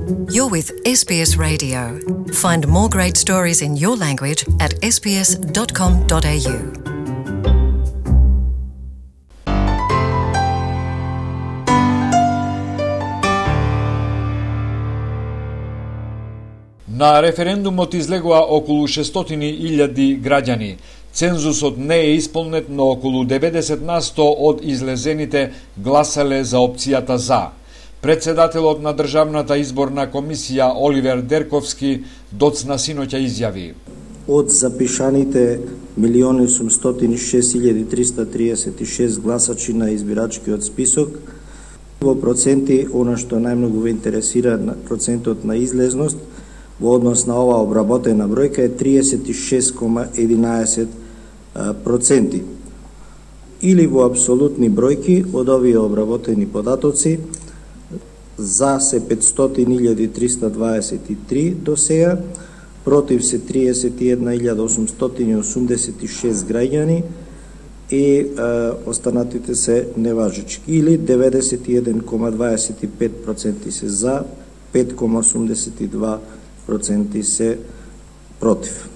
You're with SBS Radio. Find more great stories in your language at sbs.com.au. На референдумот излегува околу 600.000 граѓани. Цензусот не е исполнет, но околу 90% од излезените гласале за опцијата за. Председателот на Државната изборна комисија Оливер Дерковски доцна синоќа изјави: Од запишаните 1.806.336 гласачи на избирачкиот список, во проценти, она што најмногу ве интересира, процентот на излезност во однос на оваа обработена бројка е 36,11%. Или во апсолутни бројки од овие обработени податоци, за се 500.323 до сега, против се 31.886 граѓани и останатите се неважечки. Или 91,25% се за, 5,82% се против.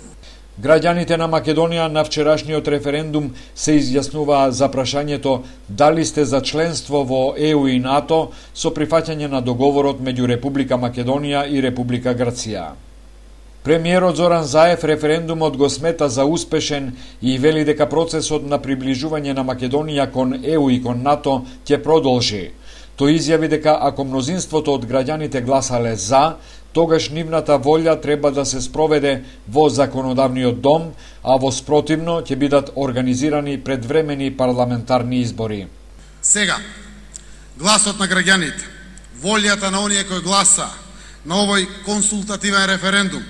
Граѓаните на Македонија на вчерашниот референдум се изјаснуваа за прашањето дали сте за членство во ЕУ и НАТО со прифаќање на договорот меѓу Република Македонија и Република Грција. Премиерот Зоран Заев референдумот го смета за успешен и вели дека процесот на приближување на Македонија кон ЕУ и кон НАТО ќе продолжи. Тој изјави дека ако мнозинството од граѓаните гласале за, тогаш нивната волја треба да се спроведе во законодавниот дом, а во спротивно ќе бидат организирани предвремени парламентарни избори. Сега, гласот на граѓаните, волјата на оние кои гласа на овој консултативен референдум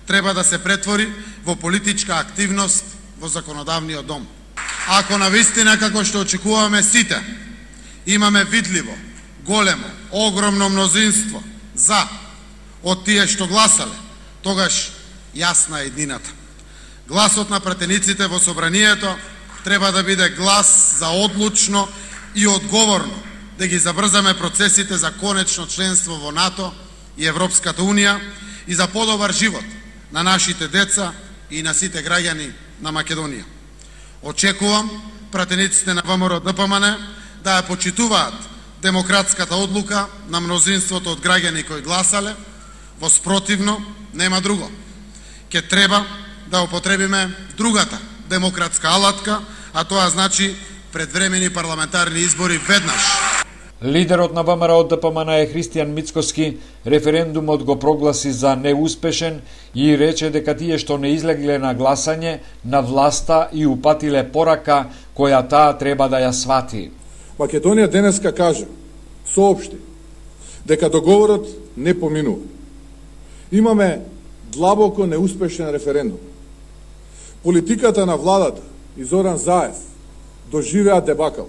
треба да се претвори во политичка активност во законодавниот дом. Ако навистина, како што очекуваме сите, имаме видливо, големо, огромно мнозинство за од тие што гласале, тогаш јасна е еднината. Гласот на пратениците во собранието треба да биде глас за одлучно и одговорно да ги забрзаме процесите за конечно членство во НАТО и Европската Унија и за подобар живот на нашите деца и на сите граѓани на Македонија. Очекувам пратениците на ВМРО-ДПМН да ја почитуваат демократската одлука на мнозинството од граѓани кои гласале. Во спротивно, нема друго. Ке треба да употребиме другата демократска алатка, а тоа значи предвремени парламентарни избори веднаш. Лидерот на ВМРО-ДПМН е Христијан Мицкоски референдумот го прогласи за неуспешен и рече дека тие што не излегле на гласање на власта и упатиле порака која таа треба да ја свати. Македонија денеска кажа, соопшти, дека договорот не поминува. Имаме длабоко неуспешен референдум. Политиката на владата и Зоран Заев доживеа дебакал.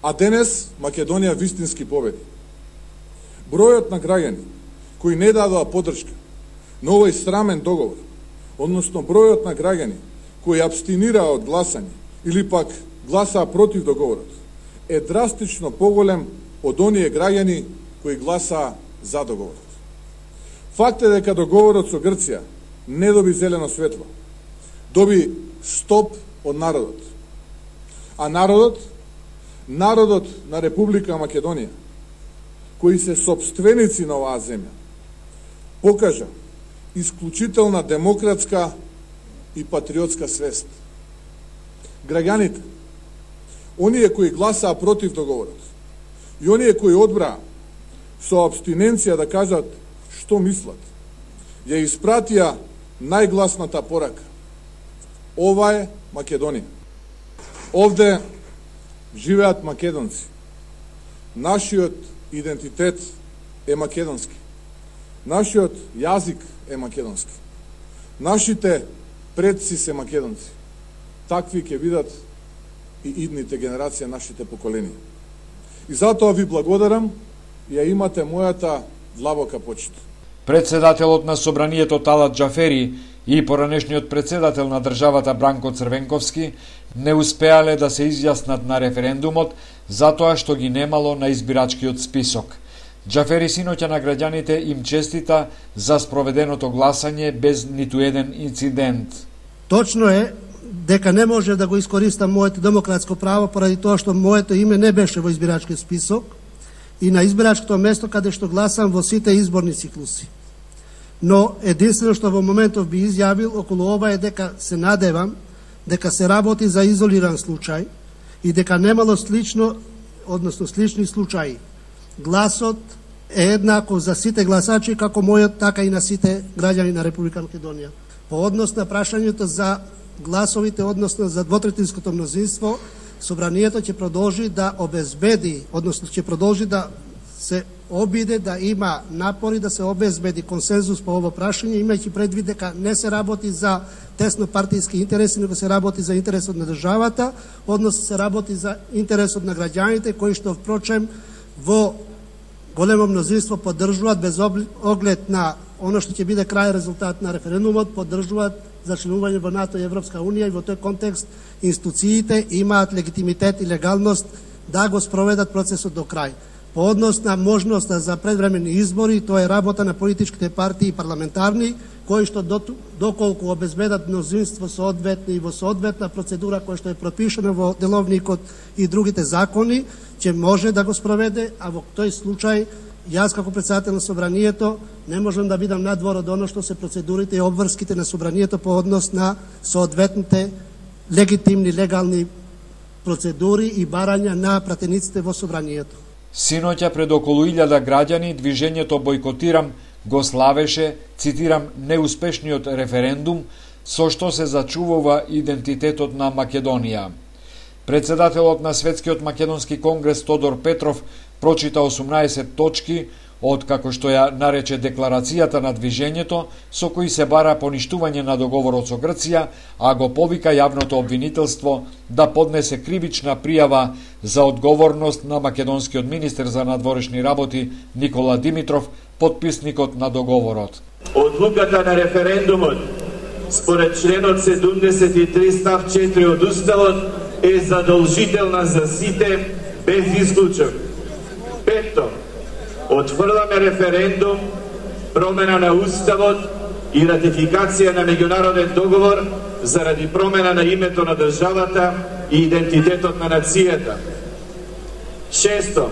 А денес Македонија вистински победи. Бројот на граѓани кои не дадоа поддршка на овој срамен договор, односно бројот на граѓани кои абстинираа од гласање или пак гласаа против договорот, е драстично поголем од оние граѓани кои гласаа за договорот. Факт е дека договорот со Грција не доби зелено светло, доби стоп од народот. А народот на Република Македонија, кои се сопственици на оваа земја, покажа исклучителна демократска и патриотска свест. Граѓаните, оние кои гласаа против договорот и оние кои одбраа со абстиненција да кажат што мислат, ја испратија најгласната порака. Ова е Македонија. Овде живеат македонци. Нашиот идентитет е македонски. Нашиот јазик е македонски. Нашите предци се македонци. Такви ќе бидат и идните генерации, нашите поколенија. И затоа ви благодарам и ја имате мојата длабока почит. Председателот на собранието Талат Џафери и поранешниот председател на државата Бранко Црвенковски не успеале да се изјаснат на референдумот затоа што ги немало на избирачкиот список. Џафери синоќа на граѓаните им честита за спроведеното гласање без ниту еден инцидент. Точно е дека не може да го искористам моето демократско право поради тоа што моето име не беше во избирачкиот список и на избирачкото место каде што гласам во сите изборни циклуси. Но единствено што во моментов би изјавил околу ова е дека се надевам дека се работи за изолиран случај и дека немало слични случаи. Гласот е еднаков за сите гласачи, како мојот, така и на сите граѓани на Република Македонија. По однос на прашањето за гласовите, односно за двотретинското мнозинство, Собранието ќе продолжи да обезбеди, односно ќе продолжи да се обиде да има напори да се обезбеди консензус по ово прашање, имајќи предвид дека не се работи за тесно партиски интереси, него се работи за интересот на државата, односно се работи за интересот на граѓаните, кои што впрочем во големо мнозинство поддржуваат без оглед на оно што ќе биде крај резултат на референдумот, поддржуваат за членување во НАТО и Европска Унија и во тој контекст институциите имаат легитимитет и легалност да го спроведат процесот до крај. По однос на можноста за предвремени избори, тоа е работа на политичките партии и парламентарни, кои што доколку обезбедат мнозинство соодветни и во соодветна процедура која што е пропишана во деловникот и другите закони, ќе може да го спроведе, а во тој случај јас како председател на Собранието не можам да бидам надвор од оно што се процедурите и обврските на Собранието по однос на соодветните легитимни, легални процедури и барања на пратениците во Собранието. Синоќа пред околу 1000 граѓани движењето Бојкотирам го славеше, цитирам, неуспешниот референдум со што се зачувува идентитетот на Македонија. Председателот на Светскиот македонски конгрес Тодор Петров прочита 18 точки од, како што ја нарече, декларацијата на движењето, со кои се бара поништување на договорот со Грција, а го повика јавното обвинителство да поднесе кривична пријава за одговорност на македонскиот министер за надворешни работи Никола Димитров, подписникот на договорот. Одлуката на референдумот според членот 73 став 4 од Уставот е задолжителна за сите без исклучок. Пето, отфрламе референдум, промена на Уставот и ратификација на меѓународен договор заради промена на името на државата и идентитетот на нацијата. Шесто,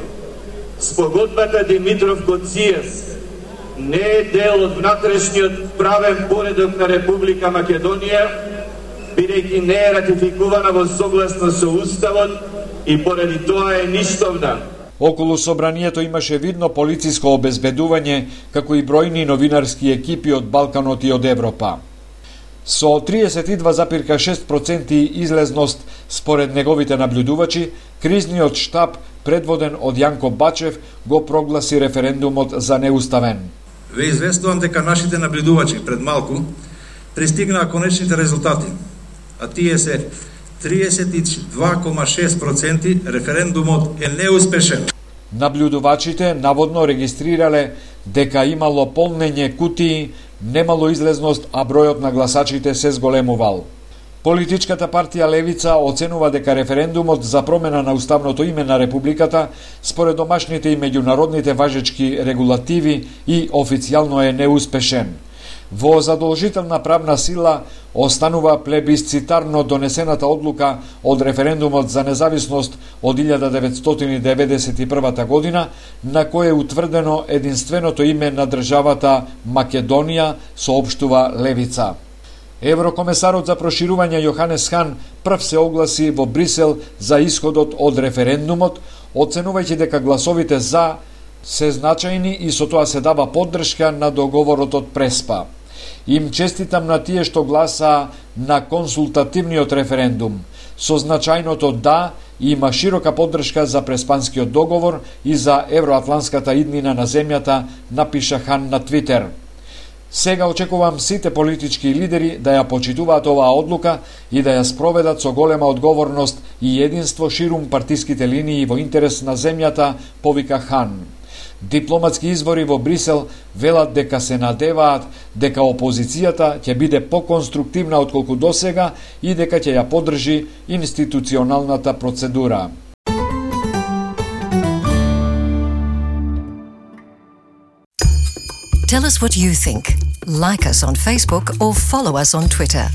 спогодбата Димитров-Коцијас не е дел од внатрешниот правен поредок на Република Македонија, бидејќи не е ратификувана во согласно со Уставот и поради тоа е ништовна. Околу Собранието имаше видно полициско обезбедување, како и бројни новинарски екипи од Балканот и од Европа. Со 32,6% излезност според неговите наблюдувачи, кризниот штаб, предводен од Јанко Бачев, го прогласи референдумот за неуставен. Ве известувам дека нашите наблюдувачи пред малку пристигнаа конечните резултати, а тие се 32,6% референдумот е неуспешен. Наблюдувачите наводно регистрирале дека имало полнење кутии, немало излезност, а бројот на гласачите се зголемувал. Политичката партија Левица оценува дека референдумот за промена на уставното име на Републиката, според домашните и меѓународните важечки регулативи, и официјално е неуспешен. Во задолжителна правна сила останува плебисцитарно донесената одлука од референдумот за независност од 1991 година, на кој е утврдено единственото име на државата Македонија, соопштува Левица. Еврокомесарот за проширување Јоханес Хан прв се огласи во Брисел за исходот од референдумот, оценувајќи дека гласовите за се значајни и со тоа се дава поддршка на договорот од Преспа. Им честитам на тие што гласа на консултативниот референдум. Со значајното да има широка поддршка за Преспанскиот договор и за евроатланската иднина на земјата, напиша Хан на Твитер. Сега очекувам сите политички лидери да ја почитуваат оваа одлука и да ја спроведат со голема одговорност и единство ширум партиските линии во интерес на земјата, повика Хан. Дипломатски извори во Брисел велат дека се надеваат дека опозицијата ќе биде поконструктивна отколку досега и дека ќе ја поддржи институционалната процедура. Tell us what you think. Like us on Facebook or follow us on Twitter.